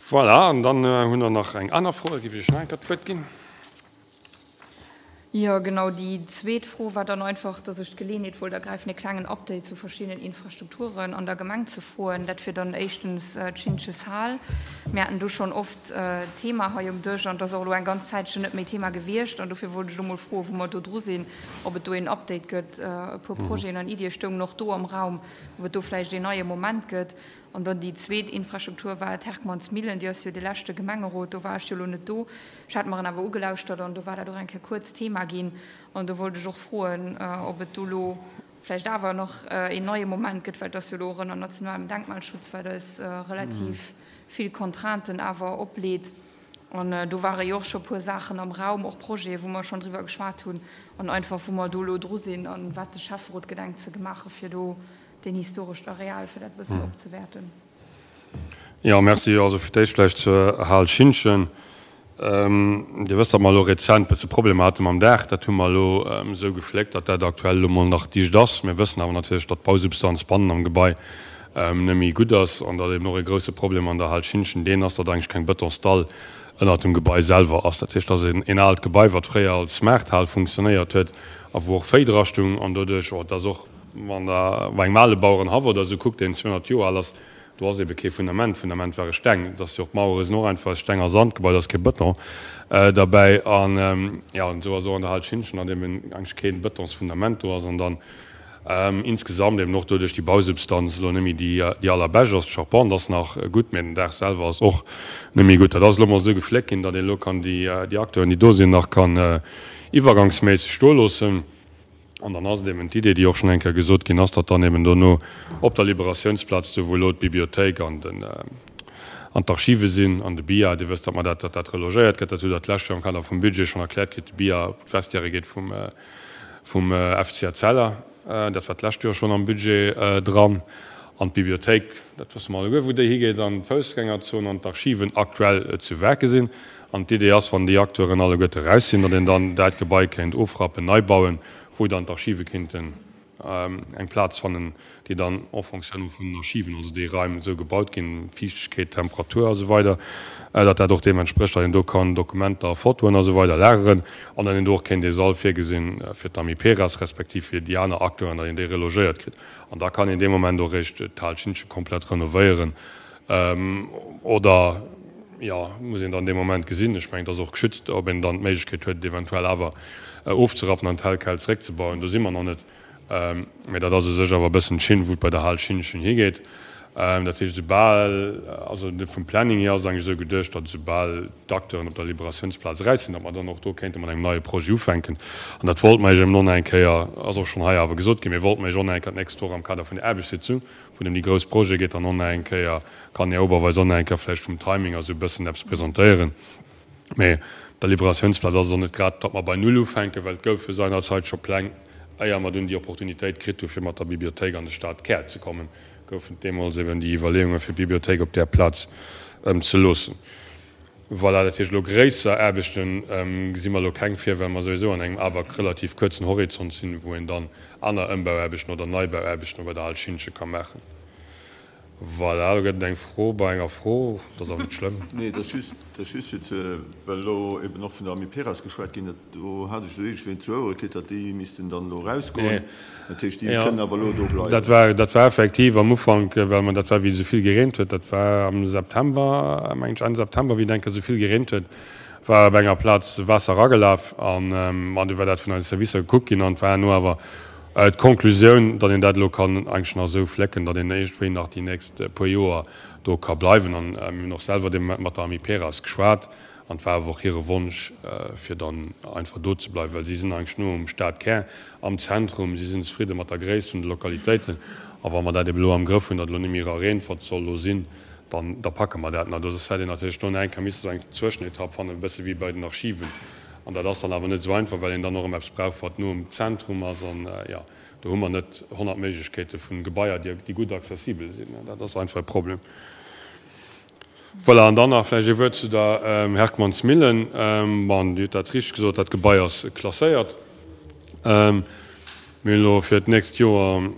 Voilà, an dann hunn der nach eng aner Fro, da géif ech Iech nach eng Kéier d'Wuert ginn. Jo, genau. Déi zweet Fro war dann einfach, dass ech d'Geleeënheet wollt ergräifen, e klengen Update zu verschiddenen Infrastrukturen an der Gemeng ze froen. Dat wier dann éischtens d'Schintscheshal. Mir haten do schonn oft d'Thema hei um Dësch an et ass och elo eng ganz Zäitchen net méi Thema gewiescht. An dofir wollt ech elo mol froen, wou mer do dru sinn, ob et do een Update gëtt. E puer Projeten an Iddie stoungen och do am Raum, ob et do vläicht een neie Moment gëtt. An dann déi zweet Infrastruktur war d'Herckmannsmillen. Déi ass jo de leschte Gemengerot, do war ech jo elo net do. Ech hat mer en awer ugelauschtert an do war dat och eng Kéier kuerz Thema ginn. An do wollt ech och froen, ob et do elo vläicht awer nach een neie Moment gëtt, well et ass jo elo och ënner nationalem Denkmalschutz, wat eis relativ vill Contrainten awer opleet. An do ware jo och scho e puer Saachen am Raum, och Projete wou mer schonn driwwer geschwat hunn an einfach wou mer do elo dru sinn an wat de Schäfferot gedenkt ze gemaache fir do deen historescht Areal, fir dat e bëssen opzewäerten. Jo, merci. Also fir d'éischt vläicht zur Hal Schintgen. Dir wësst, datt mer elo rezent e bësse Problemer hate mam Daach. Dat hu mer elo esou gefléckt, datt dat aktuell elo mol nach dicht ass. Mir wëssen awer natierlech, datt d'Bausubstanz bannen am Gebai net méi gutt ass an datt eben och e grouse Problem an der Hal Schintgen deen ass, datt eigentlech keng Betonsdall ënnert dem Gebai selwer ass. Dat heescht, dat ass een aalt Gebai, wat fréier als Maarthal funktionéiert huet a wou och Véi drastung an doduerch, oh, et ass och, Wann Der op engem ale Bauerenhaff oder esou kuckt, deen 200 Joer al ass, do ass ebe kee Fundament. D'Fundament ware Steng. Et ass jo och, d'Mauere sinn och einfach aus Steng a Sand gebaut, ass kee Bëton derbäi. An jo, an esou ass och an der Hal Schintgen, datt eben eigentlech kee Bëtonsfundament do ass an dann insgesamt eben och doduerch déi Bausubstanz elo net méi déi allerbescht ass. D'Charpente ass nach gutt, mä den Daach selwer ass och net méi gutt. Dat ass elo mol esou gefléckt ginn, datt een elo kann déi Acteuren, déi do sinn, nach kann iwwergangsméisseg stoe loossen. An dann ass et eben d'Idee, déi och schonn eng Kéier gesot ginn ass, datt dann eben dono op der Liberatiounsplaz, do wou elo d'Bibliothéik an den, an d'Archive sinn an de BIA, Dir wësst, datt mer dat, datt dat relogéiert gëtt, dat hutt Der d'lescht Joer am Kader vum Budget schonn erkläert kritt, de BIA op d'Vestiaire geet vum, vum FC Etzella, dat war d'lescht Joer schonn am Budget dran. An d'Bibliothéik, dat wësse mer alleguer, wou déi higeet, an d'Foussgängerzon an d'Archiven aktuell zu Werke sinn. An d'Idee ass, wann déi Acteuren alleguerte raus sinn, datt een dann dat Gebai kéint ofrappen, nei bauen, wou dann d'Archive kéinten eng Plaz fannen, déi dann en fonction vun den Archiven, also déi Raim esou gebaut ginn, Fiichtegkeet, Temperatur a sou weider, datt dat och deem entsprécht, datt een do kann Dokumenter, Fotoen a sou weider lageren an datt een do och kéint ee Sall virgesinn fir d'Amiperas respektiv fir déi aner Acteuren, datt een déi relogéiert kritt. An da kann een dee Moment och eréischt d'Hal Schintgen komplett renovéieren. Oder, jo, muss een dann dee Moment gesinn. Ech mengen, et ass och geschützt, ob een dann d'Méiglechkeet huet, et eventuell awer ofzerappen an tel quel zeréckzebauen. Do si mer nach net. Mä dat ass u sech awer e bëssen d'Schinn, wou et bei der Hal Schintgen higeet. Dat heescht, esoubal, also vum Planning hier ass et eigentlech esou geduecht, datt esoubal d'Acteuren op der Liberatiounsplaz eraus sinn, datt mer dann och do kéinte mat engem neie Projet ufänken. An dat wollte mer Iech eben och nach eng Kéier, ass och schonn hei awer gesot ginn, mir wollten mer Iech och nach eng Kéier d'nächst Woch am Kader vun der Aarbechtssitzung, wou et ëm déi grouss Projete geet, dann och nach eng Kéier, kann den Här Oberweis och nach eng Kéier vläicht vum Timing a sou e bëssen eppes presentéieren. Mee op der Liberatiounsplaz ass et och net grad, datt mer bei Null ufänken, well et goufe seinerzeit scho Pläng, éier mer dunn déi Opportunitéit kritt hu fir mat der Bibliothéik an de Stadkär ze kommen, goufen et deemools eben déi Iwwerleeunge fir d'Bibliothéik op där Plaz ze loossen. Voilà, dat heescht elo gréisser Aarbechte gesi mer elo keng vir, well mer souwisou an engem awer relativ kuerzen Horizont sinn, wou een dann aner Ëmbauaarbechten oder Neibauaarbechten bei der Hal Schintgen ka maachen. Voilà, do gëtt et eng Fro bei enger Fro, dat ass awer net schlëmm. Nee, dat ass just, dat ass just fir ze, well elo eben och vun der Amiperas geschwat ginn, dat do hat ech esou iergendwéi zu Ouere kritt, datt déi missten dann elo erausgoen. Dat heescht, déi kënnen awer elo do bleiwen. Dat war, dat war effektiv am Ufank, well mer, dat war wéi et esou vill gereent huet, dat war am September, mengen ech, Enn September, wéi et eng Kéier esou vill gereent huet, war op enger Plaz Waasser eragelaf an, an du war dat vun eise Servicer gekuckt ginn an et war herno awer d'Konklusioun, datt een dat elo kann eigentlech nach esou flécken, datt een iergendwéi nach déi nächst puer Joer do ka bleiwen. An mir hunn och selwer dee Moment mat der Amiperas geschwat An et war awer och hire Wonsch, fir dann einfach do ze bleiwen, well si sinn eigentlech no um Stadkär, am Zentrum, si sinn zefridde mat der Gréisst vun de Lokalitéiten. A wa mer dat ebe lo am Grëff hunn, datt elo net méi Rareenfort soll do sinn, dann da packe mer dat nach. Do hätt een natierlech do nach eng Kéier misse sou eng Zwëschenetapp fannen, e bësse wéi bei den Archiven. An dat ass dann awer net esou einfach, well een dann och erëm eppes brauch, wat no um Zentrum ass. An, jo, do hu mer net 100 Méiglechkeete vu Gebaier, déi gutt accessibel sinn. Dat ass einfach e Problem. Voilà, an dann nach vläicht ee Wuert zu der Herckmannsmillen. Bon, Dir hutt dat richteg gesot, dat Gebai ass klasséiert. Mir hunn elo fir d'nächst Joer,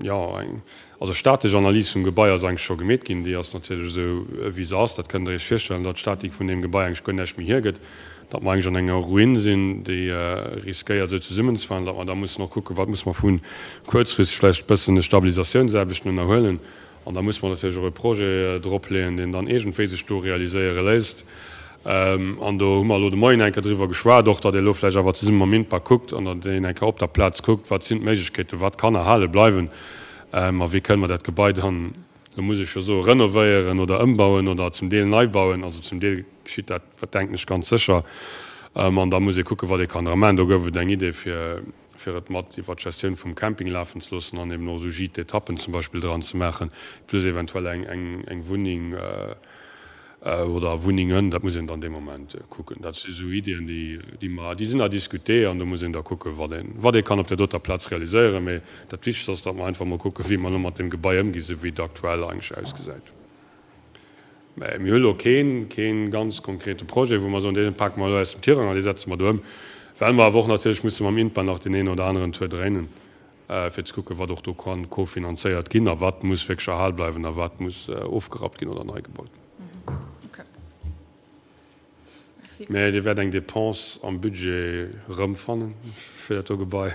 jo, eng. Also d'statesch Analys vum Gebai ass eigentlech scho gemeet ginn. Déi ass natierlech esou, wéi se ass. Dat kënnt Der Iech virstellen, datt d'Statik vun deem Gebai eigentlech guer näischt méi hiergëtt, datt mer eigentlech an enger Ruin sinn, déi riskéiert esou zesummenzefalen, datt mer da mussen och kucken, wat muss mer vu kuerzfristeg vläicht e bëssen Stabilisatiounsaarbechten ënnerhuelen. An da muss mer natierlech och e Projet dropleeën, deen dann iergendwéi sech do realiséiere léisst. An do hu mer elo de Moien eng Kéier driwwer geschwat och, datt ee elo vläicht awer zesumme mam INPA kuckt an datt een eng Kéier op der Plaz kuckt, wat sinn d'Méiglechkeeten, wat kann erhale bleiwen a wéi kënne mer dat Gebai dann, elo muss ech jo soen, renovéieren oder ëmbauen oder zum Deel nei bauen. Also zum Deel geschitt dat, wat denken ech, ganz sécher. An da muss ee kucken, wat ee kann dra maachen. Do gouf et eng Idee fir, fir et mat iwwer d'Gestioun vum Camping lafen ze loossen an eben och esou Gîtes d'étappen zum Beispill dran ze maachen, plus eventuell eng, eng, eng Wunneng oder Wunnengen, dat muss een dann dee Moment kucken. Dat si sou Iddien, déi, déi mer, déi sinn à discuter an do muss een da kucken, wat een, wat ee kann op där doter Plaz realiséieren. Mee dat Wichtegst ass, datt mer einfach mol kucken, wéi mer elo mat deem Gebai ëmginn, esou wéi et aktuell eigentlech ausgesäit. Mä mir hu lo keen, kee ganz konkrete Projet, wou mer soen, dee pake mer elo aus dem Tirang an dee setze mer do ëm, well mer awer och natierlech musse mam INPA nach deen een oder aneren Tour dréinen, fir ze kucken, wat och do ka kofinanzéiert ginn a wat muss wierklech erhal bleiwen a wat muss ofgerappt ginn oder nei gebaut ginn. Mä Dir wäert eng Dépense am Budget erëmfannen fir dat do Gebai,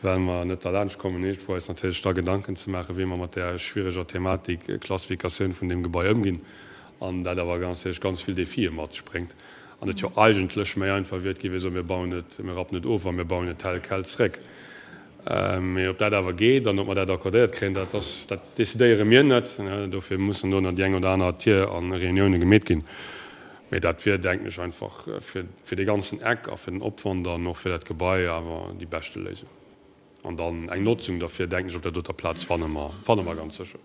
well mer net derlaanscht kommen, iergendwou eis natierlech da Gedanken ze maachen, wéi mer mat där schwiereger Thematik Klassifikatioun vun deem Gebai ëmginn an dat awer natierlech ganz vill Défië mat sech bréngt an et jo eigentlech méi einfach wier, et géif ee soen, mir bauen et, mir rappen et of a mir bauen et tel quel zréck. Mee ob dat awer geet an ob mer dat accordéiert kréien, dat ass, dat decidéiere mir net. Dofir mussen do nach déi eng oder aner Tier a Reunioune gemeet ginn. Mee dat wier, denken ech, einfach fir, fir dee ganzen Eck a fir den Opwand an och fir dat Gebai awer déi beschte Léisung. An dann eng Notzung derfir, denken ech, op där doter Plaz fanne mer, fanne mer ganz sécher.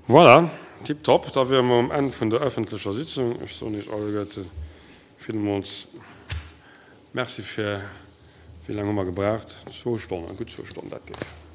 Voilà, tiptop. Da wiere mer um Enn vun der öffentlecher Sitzung. Ech soen Iech alleguerte villmools Merci fir, wéi laang hu mer gebraucht? Zwou Stonnen, gutt zwou Stonnen, dat geet.